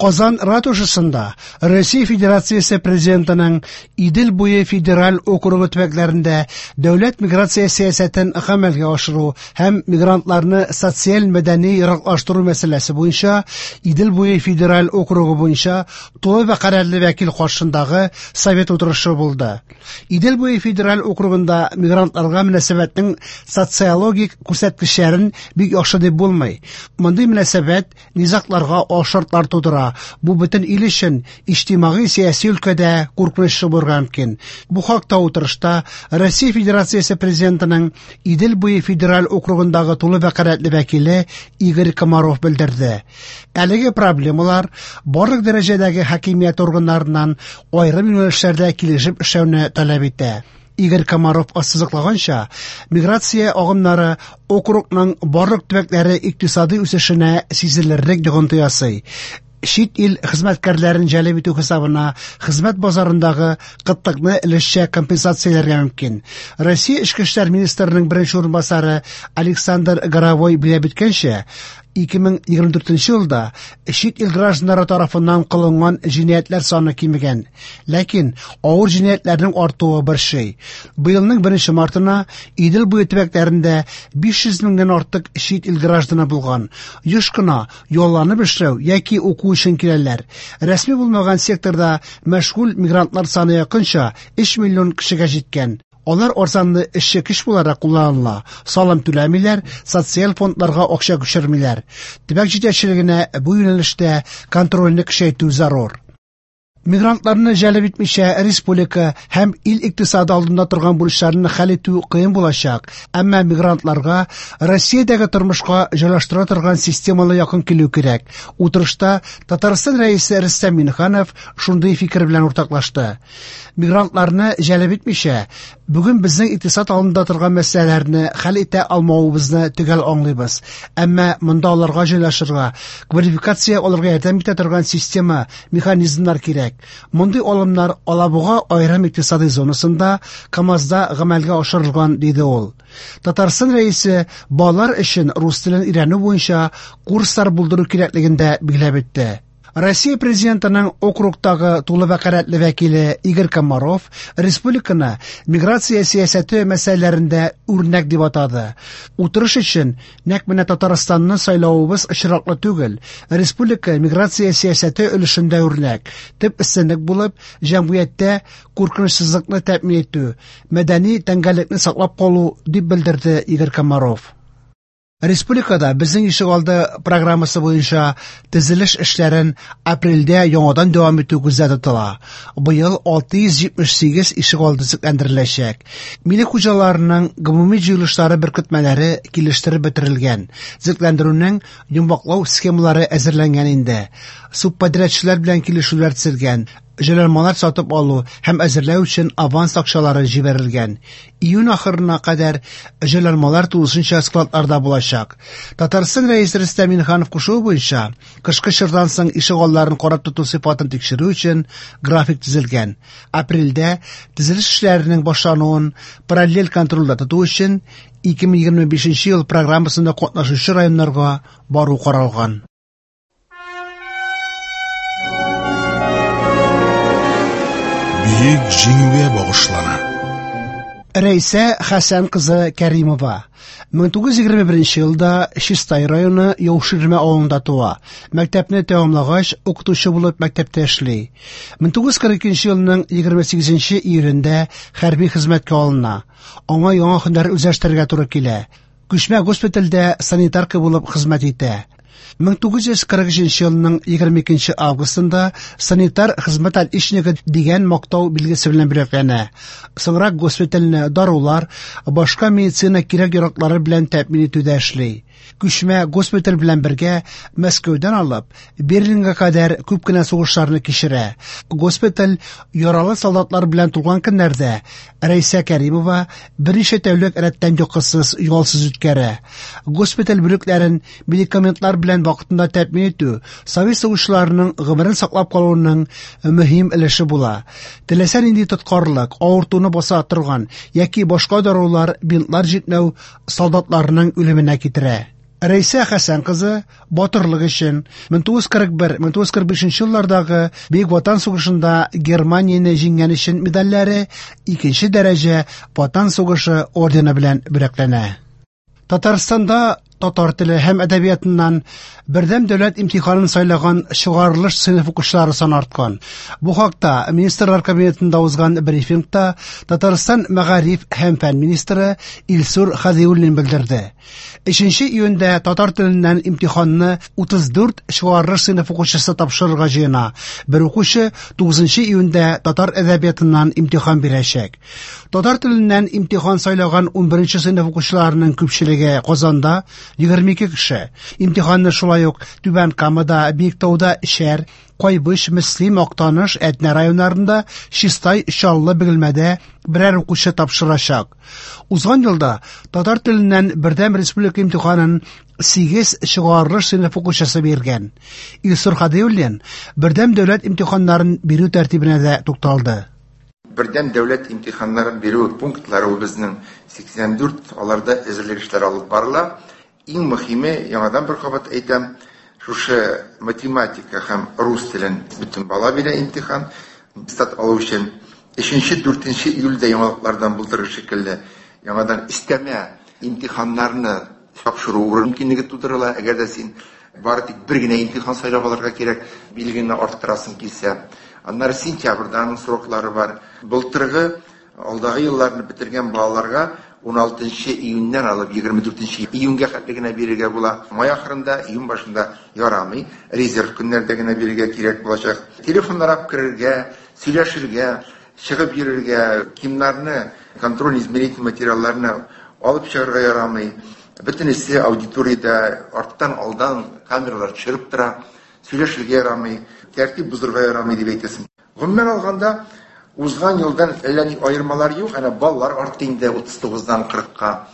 Казан ратушасында Россия Федерациясе Президентының Идел буе федераль округы төбәкләрендә дәүләт миграция сәясәтен гамәлгә ашыру һәм мигрантларны социаль-мәдәни яраклаштыру мәсьәләсе буенча Идел буе федераль округы буенча тулы вәкаләтле вәкил каршындагы совет утырышы булды. Идел буе федераль округында мигрантларга мөнәсәбәтнең социологик күрсәткечләрен бик яхшы дип булмый. Мондый мөнәсәбәт низагларга алшартлар тудыра. Бу бөтен ил өчен иҗтимагый-сәяси өлкәдә куркынычлы булырга мөмкин. Бу хакта утырышта Россия Федерациясе Президентының Идел буе федераль округындагы тулы вәкаләтле вәкиле Игорь Комаров белдерде. Әлеге проблемалар барлык дәрәҗәдәге хакимият органнарыннан аерым юнәлешләрдә килешеп эшләүне таләп итә. Игорь Комаров ассызыклаганча, миграция агымнары округның барлык төбәкләре икътисади үсешенә сизелерлек йогынты ясый. Чит ил хезмәткәрләрен җәлеп итү хисабына хезмәт базарындагы кытлыкны өлешчә компенсацияләргә мөмкин. Россия Эчке эшләр министрының беренче урынбасары Александр Горовой билгеләп үткәнчә, 2024 елда чит ил гражданнары тарафыннан кылынган җинаятьләр саны кимегән. Ләкин авыр җинаятьләрнең артуы борчый. Быелның 1 мартына Идел буе төбәкләрендә 500 меңнән артык чит ил гражданы булган. Еш кына ялланып эшләү яки уку өчен киләләр. Рәсми булмаган секторда мәшгуль мигрантлар саны якынча 3 миллион кешегә җиткән. Алар арзанлы эшче көч буларак кулланыла, салым түләмиләр, социаль фондларга акча күчермиләр. Төбәк җитәкчелегенә бу юнәлештә контрольне көчәйтү зарур. Мигрантларны җәлеп итмичә республика һәм ил икътисады алдында торган бурычларны хәл итү кыен булачак. Әмма мигрантларга Россиядәге тормышка җайлаштыра торган системалы якын килү кирәк. Утырышта Татарстан Рәисе Рөстәм Миңнеханов шундый фикер белән уртаклашты. Мигрантларны җәлеп итмичә, бүген безнең икътисад алдында торган мәсьәләләрне хәл итә алмавыбызны төгәл аңлыйбыз. Әмма монда аларга җайлашырга, квалификация алырга ярдәм итә торган система, механизмнар кирәк. Мондый алымнар Алабуга аерым икътисади зонасында, КАМАЗда гамәлгә ашырылган, диде ул. Татарстан Рәисе балалар өчен рус телен өйрәнү буенча курслар булдыру кирәклеген дә билгеләп үтте. Россия Президентының округтагы тулы вәкаләтле вәкиле Игорь Комаров республиканы миграция сәясәте мәсьәләләрендә үрнәк дип атады. Утырыш өчен нәкъ менә Татарстанны сайлавыбыз очраклы түгел. Республика миграция сәясәте өлешендә үрнәк. Төп өстенлек булып, җәмгыятьтә куркынычсызлыкны тәэмин итү, мәдәни тәңгәллекне саклап калу, дип белдерде Игорь Комаров. Республикада Безнең ишегалды программасы буенча төзелеш эшләрен апрельдә яңадан дәвам итү күздә тотыла. Быел 678 ишегалды төзекләндереләчәк. Милек хуҗаларының гомуми җыелышлары беркетмәләре килештереп бетерелгән. Төзекләндерүнең йомгаклау схемалары әзерләнгән инде. Субподрядчылар белән килешүләр төзелгән. Җайланмалар сатып алу һәм әзерләү өчен аванс акчалары җибәрелгән. Июнь ахырына кадәр җайланмалар тулысынча складларда булачак. Татарстан Рәисе Рөстәм Миңнеханов кушуы буенча, кышкы чордан соң ишегалларын карап тоту сыйфатын тикшерү өчен график төзелгән. Апрельдә төзелеш эшләренең башлануын параллель контрольдә тоту өчен 2025 ел программасында катнашучы районнарга бару каралган. Бөек Җиңүгә багышлана. Рәйсә Хәсән кызы Кәримова 1921 елда Чистай районы Яуширмә авылында туа. Мәктәпне тәмамлагач, укытучы булып мәктәптә эшли. 1942 елның 28 июлендә хәрби хезмәткә алына. Аңа яңа һөнәр үзләштерергә туры килә. Күчмә госпитальдә санитарка булып хезмәт итә. 1943 елның 22 августында санитар хезмәт отличнигы дигән мактау билгесе белән бүләкләнә. Соңрак госпитальне дарулар, башка медицина кирәк-яраклары белән тәэмин итүдә эшли. Күчмә госпиталь белән бергә Мәскәүдән алып Берлинга кадәр күп кенә сугышларны кичерә. Госпиталь яралы солдатлар белән тулган көннәрдә Рәйсә Кәримова берничә тәүлек рәттән йокысыз, ялсыз үткәрә. Госпиталь бүлекләрен медикаментлар белән вакытында тәэмин итү совет сугышчыларының гомерен саклап калуның мөһим өлеше була. Теләсә нинди тоткарлык, авыртуны баса торган яки башка дарулар, бинтлар җитмәү солдатларның үлеменә китерә. Рәйсә Хәсән кызы батырлык өчен 1941-1945 еллардагы Бөек Ватан сугышында Германияне җиңгән өчен медальләре, икенче дәрәҗә Ватан сугышы ордены белән бүләкләнә. Татарстанда татар теле һәм әдәбиятыннан бердәм дәүләт имтиханын сайлаган чыгарылыш сыйныф укучылары саны арткан. Бу хакта Министрлар Кабинетында узган брифингта Татарстан мәгариф һәм фән министры Илсур Хәдиуллин белдерде. 3 июньдә татар теленнән имтиханны 34 чыгарылыш сыйныф укучысы тапшырырга җыена. Бер укучы 9 июньдә татар әдәбиятыннан имтихан бирәчәк. Татар теленнән имтихан сайлаган 11 сыйныф укучыларының күпчелеге Казанда 22 кеше. Имтиханны шулай ук Түбән Камада, Биектауда Шәр, Кайбыч, Мөслим, Актаныш, Әтнә районнарында, Чистай, Чаллы, Бөгелмәдә берәр укучы тапшырачак. Узган елда татар теленнән бердәм республика имтиханын 8 чыгарылыш сыйныф укучысы биргән. Илсур Хадиуллин бердәм дәүләт имтиханнарын бирү тәртибенә дә тукталды. Бердәм дәүләт имтиханнарын бирү пунктлары ул безнең 84, аларда әзерлек эшләре алып барыла. Иң мөһиме, яңадан бер кабат әйтәм, шушы математика һәм рус телен бөтен бала бирә имтихан, аттестат алу өчен. 3-4 июльдә яңалыклардан булдырыр шикелле, яңадан өстәмә имтиханнарны тапшыру мөмкинлеге тудырыла. Әгәр дә син бары тик бер генә имтихан сайлап алырга кирәк, билгеңне арттырасың килсә. Аннары сентябрьдә аның сроклары бар. Былтыргы алдагы елларны бетергән балаларга 16 июньнән алып 24 июньгә хәтле генә бирергә була. Май ахырында, июнь башында ярамый. Резерв көннәрдә генә бирергә кирәк булачак. Телефоннар алып керергә, сөйләшергә, чыгып йөрергә, кимнарны, контроль измерительный материалларны алып чыгарга ярамый. Бөтенесе аудиториядә арттан алдан камералар төшереп тора. Сөйләшергә ярамый, тәртип бозырга ярамый дип әйтәсең. Гомумән алганда, узган елдан әллә ни аермалар юк, әнә баллар артты инде 39-дан 40-ка.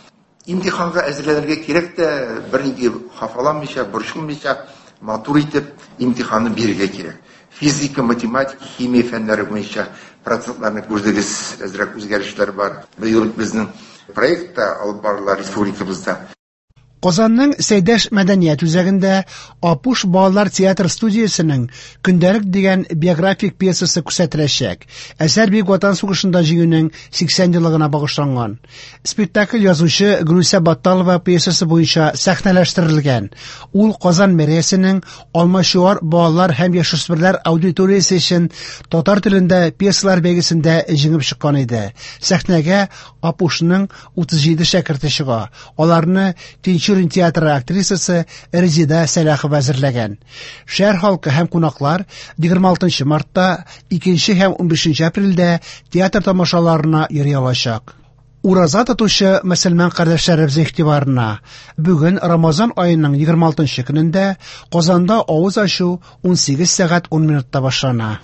Имтиханга әзерләнергә кирәк тә, бернинди хафаланмыйча, борчылмыйча, матур итеп имтиханны бирергә кирәк. Физика, математика, химия фәннәре буенча процентларны күрдегез, әзрәк үзгәрешләр бар. Быел безнең проект та алып барыла республикабызда. Казанның Сәйдәш мәдәният үзәгендә Апуш балалар театр студиясенең Көндәлек дигән биографик пьесасы күрсәтеләчәк. Әсәр Бөек Ватан сугышында җиңүнең 80 еллыгына багышланган. Спектакль язучы Гөлүсә Батталова пьесасы буенча сәхнәләштерелгән. Ул Казан мэриясенең Алмачуар балалар һәм яшүсмерләр аудиториясе өчен татар телендә пьесалар бәйгесендә җиңеп чыккан иде. Сәхнәгә Апушның 37 шәкерте чыга. Аларны Тинчурин театры актрисасы Резида Сәлахова әзерләгән. Шәһәр халкы һәм кунаклар 26 мартта, 2 һәм 15 апрельдә театр тамашаларына йөри алачак. Ураза тотучы мөселман кардәшләребез игътибарына. Бүген Рамазан аеның 26 көнендә Казанда авыз ачу 18 сәгать 10 минутта башлана.